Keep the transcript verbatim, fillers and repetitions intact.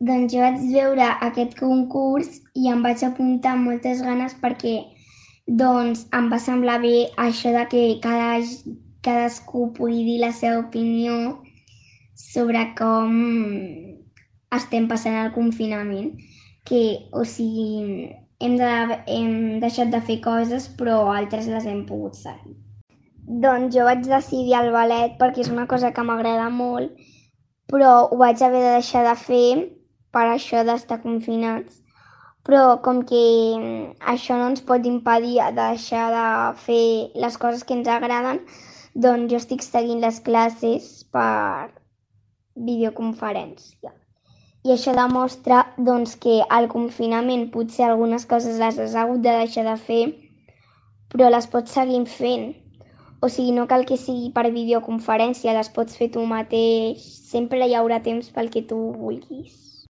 Doncs jo vaig veure aquest concurs i em vaig apuntar amb moltes ganes perquè doncs em va semblar bé això de que cada, cadascú pugui dir la seva opinió sobre com estem passant el confinament, que, o sigui, hem, de, hem deixat de fer coses però altres les hem pogut seguir. Doncs jo vaig decidir el ballet perquè és una cosa que m'agrada molt, però ho vaig haver de deixar de fer per això d'estar confinats. Però com que això no ens pot impedir de deixar de fer les coses que ens agraden, doncs jo estic seguint les classes per videoconferència. I això demostra doncs, que al confinament potser algunes coses les has hagut de deixar de fer, però les pots seguir fent. O sigui, no cal que sigui per videoconferència, les pots fer tu mateix, sempre hi haurà temps pel que tu vulguis.